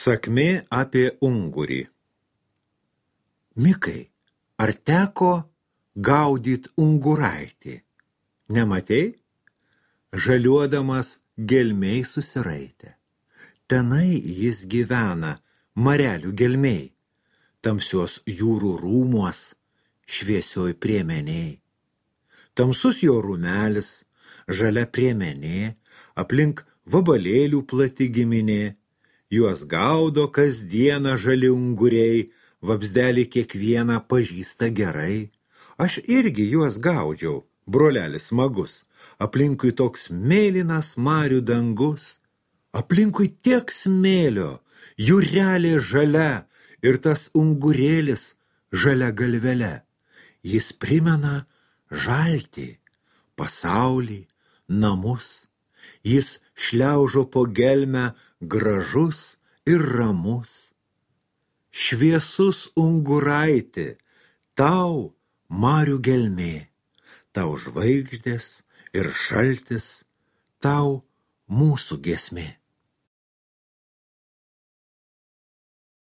Sakmė apie ungurį. Mikai, ar teko gaudyt unguraitį? Nematei? Žaliuodamas gelmiai susiraitė. Tenai jis gyvena, marelių gelmiai, tamsios jūrų rūmuos, šviesioj priemeniai. Tamsus jo rūmelis, žalia priemenė, aplink vabalėlių plati giminė, juos gaudo kasdieną žali unguriai, vabzdelį kiekvieną pažįsta gerai. Aš irgi juos gaudžiau, brolelis smagus, aplinkui toks mėlynas marių dangus, aplinkui tiek smėlio, jūrelė žalia ir tas ungurėlis žalia galvele. Jis primena žaltį, pasaulį, namus. Jis šliaužo po gelmę gražus ir ramus. Šviesus unguraiti, tau marių gelmė, tau žvaigždės ir šaltis, tau mūsų giesmė.